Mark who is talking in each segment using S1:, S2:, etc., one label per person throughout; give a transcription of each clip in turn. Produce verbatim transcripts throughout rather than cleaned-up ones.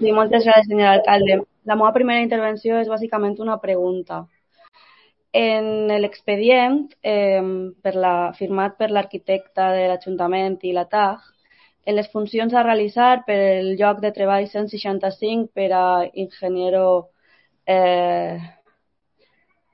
S1: Sí, moltes gràcies, senyor alcalde. La meva primera intervenció és bàsicament una pregunta. En l'expedient eh, per la, firmat per l'arquitecte de l'Ajuntament i la T A G, en les funcions a realitzar per el lloc de treball cent seixanta-cinc per a ingeniero, eh,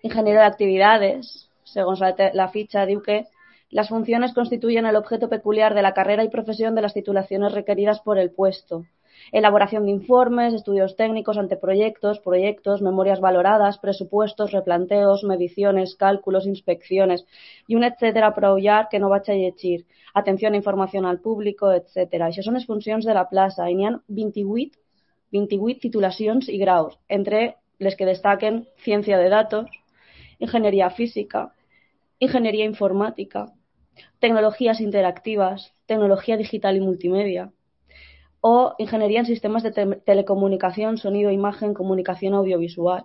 S1: ingeniero de actividades, segons la, la fitxa, diu que las funciones constituyen el objeto peculiar de la carrera y profesión de las titulaciones requeridas por el puesto. Elaboración de informes, estudios técnicos, anteproyectos, proyectos, memorias valoradas, presupuestos, replanteos, mediciones, cálculos, inspecciones i un etcètera prou llarg que no vaig a llegir. Atenció a informació al públic, etcètera. Això són les funcions de la plaça i n'hi ha vint-i-vuit, vint-i-vuit titulacions i graus, entre les que destaquen ciència de datos, ingeniería física, ingeniería informática, tecnologías interactivas, tecnología digital y multimedia, o ingeniería en sistemas de te telecomunicación, sonido, imagen, comunicación audiovisual,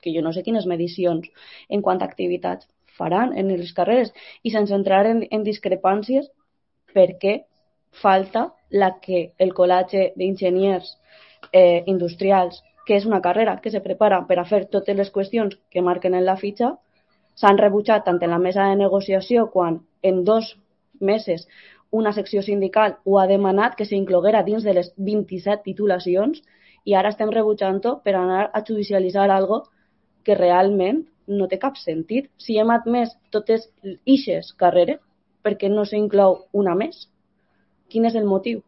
S1: que jo no sé quines medicions en quant a activitats faran en les carreres, i sense entrar en, en discrepàncies, per què falta la que el col·legi d'enginyers eh, industrials, que és una carrera que se prepara per a fer totes les qüestions que marquen en la fitxa, s'han rebutjat tant en la mesa de negociació quan en dos mesos una secció sindical ho ha demanat que s'incloguera dins de les vint-i-set titulacions i ara estem rebutjant-ho per anar a judicialitzar algo que realment no té cap sentit. Si hem admès totes ixes carreres, per què no s'inclou una més? Quin és el motiu?